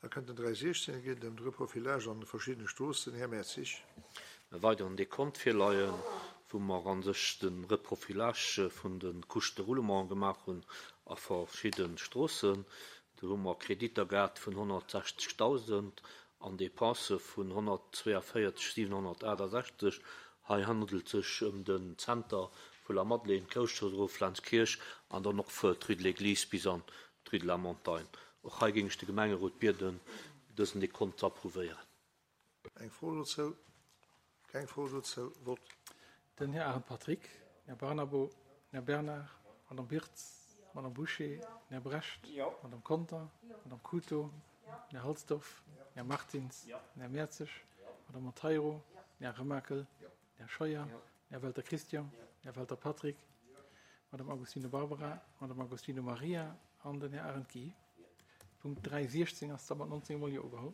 Da kënnt den 316, et geet ëm de Reprofilage an de verschiddene Stroossen. Här Mertzig. E weideren Dekont virleien, wou mer a sech de Reprofilage vun de Couches de roulement gemaach hunn a verschidde Stroossen. Do hu mer Kreditter gehat vun 160.000 an Dépensë vun 142 768. Hei handelt et sech ëm den Zenter vu Lamadelaine, d'Groussstrooss erof, Lenzkierch an dann och d'Rue de l'Église bis an d'Rue de la Montagne. Och hei géing ech de Gemengerot bieden, dësen Dekont ze approuvéieren. Eng Fro dozou? Keng Fro dozou. Vott. Den Här Arendt Patrick, den Här Barnabo, den Här Bernard, d'Madame Birtz, d'Madame Bouché, den Här Brecht, d'Madame Conter, d'Madame Cooto, den Här Halsdorf, den Här Martins, den Här Mertzig, d'Madame Monteiro, den Här Remakel, den Här Scheuer, den Här Welter Christian, den Här Welter Patrick, d'Madame Agostino Barbara, d'Madame Agostino Maria an den Här Arendt Guy. Punkt 3.16 ass da mat 19 mol Jo ugeholl.